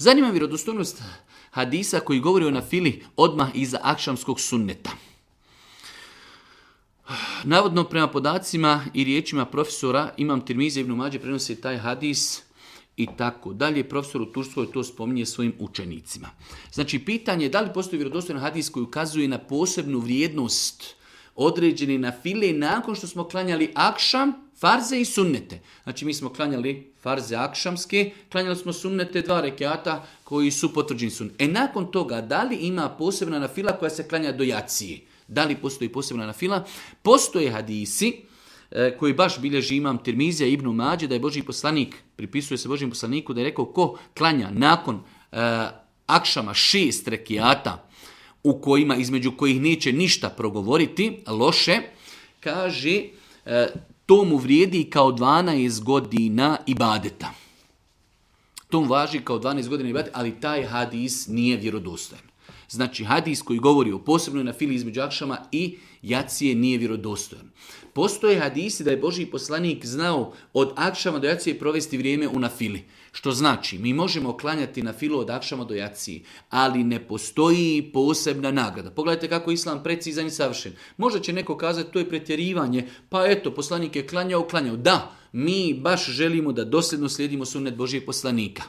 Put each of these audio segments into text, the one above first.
Zanima vjerodostojnost hadisa koji govori o nafili odmah iza akšamskog sunneta. Navodno prema podacima i riječima profesora Imam Tirmizi ibn Mađe prenosi taj hadis i tako dalje. Profesor u Turskoj to spominje svojim učenicima. Znači pitanje je da li postoji vjerodostojan hadis koji ukazuje na posebnu vrijednost određene nafile nakon što smo klanjali akšam, farze i sunnete. Znači mi smo klanjali farze akšamske, klanjali smo sunnete 2 rekata koji su potvrđeni sunnete. Nakon toga da li ima posebna nafila koja se klanja do jacije? Da li postoji posebna nafila? Postoje hadisi koji baš bilježi Imam Tirmizija ibn Mađe, da je Božji poslanik, pripisuje se Božjem poslaniku, da je rekao ko klanja nakon akšama 6 rekiata u kojima, između kojih neće ništa progovoriti loše, kaže to mu vrijedi kao 12 godina ibadeta. To mu važi kao 12 godina ibadeta, ali taj hadis nije vjerodostojan. Znači, hadis koji govori o posebnoj nafili između akšama i jacije nije vjerodostojan. Postoje hadisi da je Božji poslanik znao od akšama do jacije provesti vrijeme u nafili. Što znači, mi možemo klanjati nafilu od akšama do jacije, ali ne postoji posebna nagrada. Pogledajte kako je Islam precizan i savršen. Možda će neko kazati to je pretjerivanje, pa eto, poslanik je klanjao. Da, mi baš želimo da dosljedno slijedimo sunnet Božjeg poslanika.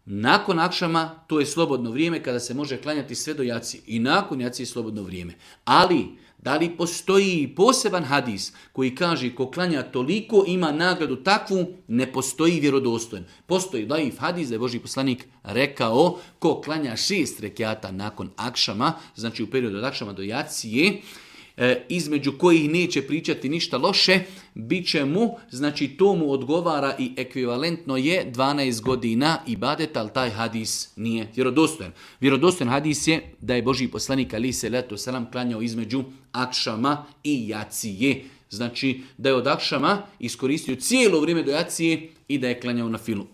Nakon akšama to je slobodno vrijeme kada se može klanjati sve do jacije. I nakon jacije je slobodno vrijeme. Ali, da li postoji poseban hadis koji kaže ko klanja toliko ima nagradu takvu, ne postoji vjerodostojan. Postoji daif hadis da je Božji poslanik rekao ko klanja 6 rekiata nakon akšama, znači u periodu od akšama do jacije, između kojih neće pričati ništa loše, bit će mu, znači to mu odgovara i ekvivalentno je 12 godina ibadeta, ali taj hadis nije vjerodostojan. Vjerodostojan hadis je da je Božji poslanik alejhi selatu selam klanjao između akšama i jacije. Znači da je od akšama iskoristio cijelo vrijeme do jacije i da je klanjao na filu.